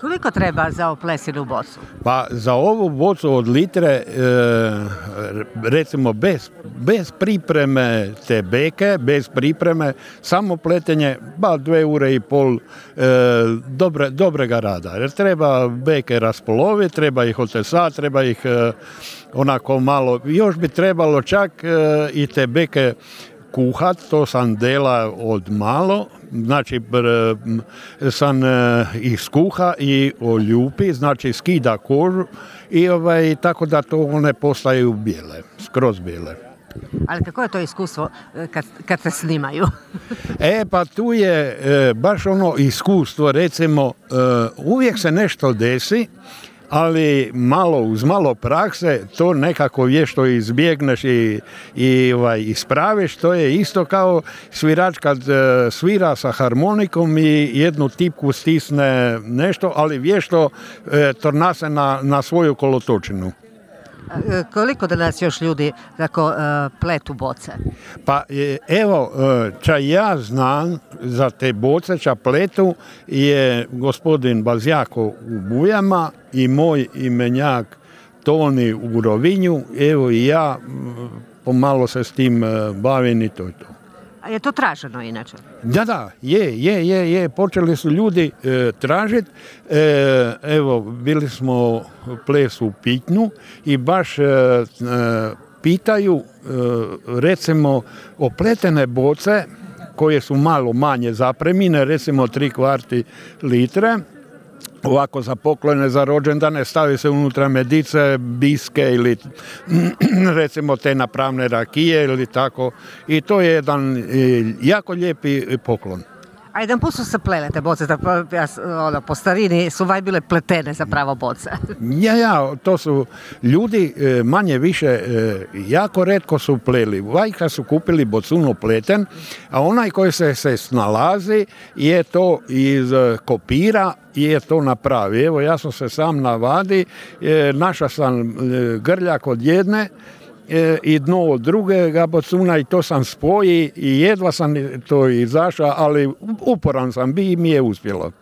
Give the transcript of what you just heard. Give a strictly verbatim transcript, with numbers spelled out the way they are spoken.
Koliko treba za oplesinu bocu? Pa za ovu bocu od litre, e, recimo bez, bez pripreme te beke, bez pripreme, samo pletenje, ba dve ure i pol e, dobre, dobrega rada. Jer treba beke raspoloviti, treba ih otesati, treba ih e, onako malo, još bi trebalo čak e, i te beke kuhat, to sam dela od malo, znači br, sam e, ih skuha i oljupi, znači skida kožu i ovaj, tako da to one postaju bijele, skroz bijele. Ali kako je to iskustvo kad, kad se snimaju? E pa tu je e, baš ono iskustvo, recimo e, uvijek se nešto desi, ali malo, uz malo prakse to nekako vješto izbjegneš i, i ovaj, ispraviš. To je isto kao svirač kad e, svira sa harmonikom i jednu tipku stisne nešto, ali vješto e, tornase na, na svoju kolotočinu. Koliko danas još ljudi tako uh, pletu boce? Pa evo, ča ja znam za te boce, ča pletu je gospodin Bazjako u Bujama i moj imenjak Toni u Rovinju. Evo i ja pomalo se s tim bavim i to je to. A je to traženo inače? Da, da, je, je, je, je. Počeli su ljudi e, tražiti. E, evo, bili smo ples u Pitnju i baš e, e, pitaju, e, recimo, opletene boce koje su malo manje zapremine, recimo tri kvarti litre, ovako za poklone, za rođendane, stavi se unutra medice, biske ili recimo te napravne rakije ili tako. I to je jedan jako lijepi poklon. A jedan put su se plele te boce, ono, po starini su vaj bile pletene zapravo boce. Ja, ja, to su ljudi manje više jako retko su pleli. Vajka su kupili bocuno pleten, a onaj koji se, se snalazi je to iz kopira i je to napravi. Evo, ja sam se sam navadi, naša sam grljak od jedne i dno od drugega bocuna i to sam spoji i jedva sam to izašao, ali uporan sam bi i mi je uspjelo.